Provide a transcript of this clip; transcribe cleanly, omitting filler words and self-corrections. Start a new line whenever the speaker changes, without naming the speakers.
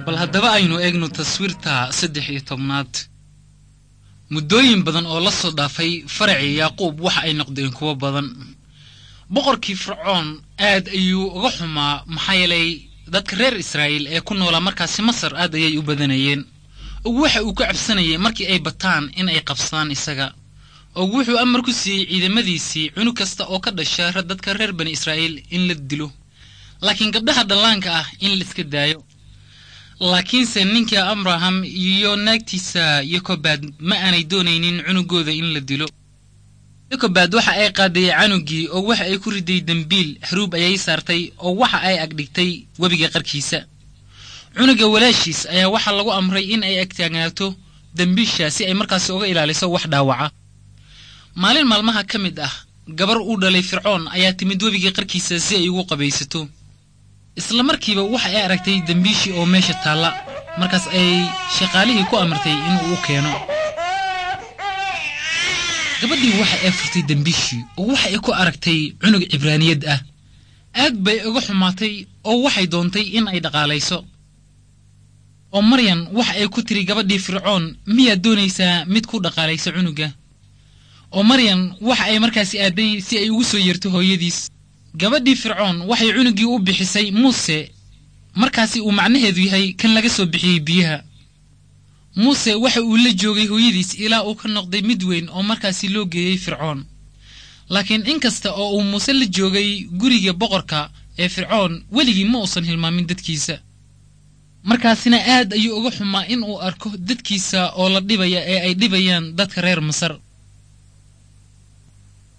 Bal haddaba aynu eegno taswiirta 13aad. Muddooyin badan oo la soo dhaafay faracii Yaaquub waxa ay noqdeen kuwo badan. Boqorkii Fircoon aad ayuu uga xumaa, maxaa yeelay dadka reer Israa'iil ee ku noolaa markaasi Masar aad ayay u badanayeen. Og waxa uu ka cabsanayay markii ay bataan in ay qabsadaan isaga. Og wuxuu amar ku siiyey ciidamadiisii cunug kasta oo ka dhasha dadka reer bani Israa'iil in la dilo, laakiin gabdhaha dhallaanka ah in la iska daayo. Laakiinse ninka Abraham iyo naagtiisa Yokobaad ma aanay doonaynin cunugooda in la dilo. Yokobaad waxa ay qaaday canugii oo waxa ay ku riday dembiil, haruub ayay saartay oo waxa ay agdhigtay webiga qarkiisa. Cunuga walaashiis ayaa waxaa lagu amray in ay agtaagnaato dembiisha si ay markaasi uga ilaaliso wax dhaawaca. Maalin maalmaha ka mid ah, gabar uu dhalay Fircoon ayaa timid webiga qarkiisa si ay ugu qabaysato. Isla markiiba waxa ay aragtay dembiishii oo meesha taalla, markaas ay shaqaalihii ku amartay inuu u keeno. Gabadhii waxa ay furtay dembiishii oo waxa ay ku aragtay cunug Cibraaniyad ah. Aad bay uga xumaatay oo waxay doontay in ay dhaqaalayso. Oo Maryan waxa ay ku tiri gabadhii Fircoon, miyaad doonaysaa mid ku dhaqaalaysa cunuga? Oo Maryan waxa ay markaasi aaday si ay ugu soo yeerto hooyadiis. Gabadhii Fircoon waxay cunuggii u bixisay Muuse, markaasi uu macnaheedu yahay kan laga soo bixiyey biyaha. Muuse waxa uu la joogay hooyadiis ilaa uu ka noqday mid weyn oo markaasi loo geeyey Fircoon. Laakiin inkasta oo uu Muuse la joogay guriga boqorka ee Fircoon, weligii ma uusan hilmaamin dadkiisa. Markaasina aad ayuu uga xumaa in uu arko dadkiisa oo la dhibaya ee ay dhibayaan dadka reer Masar.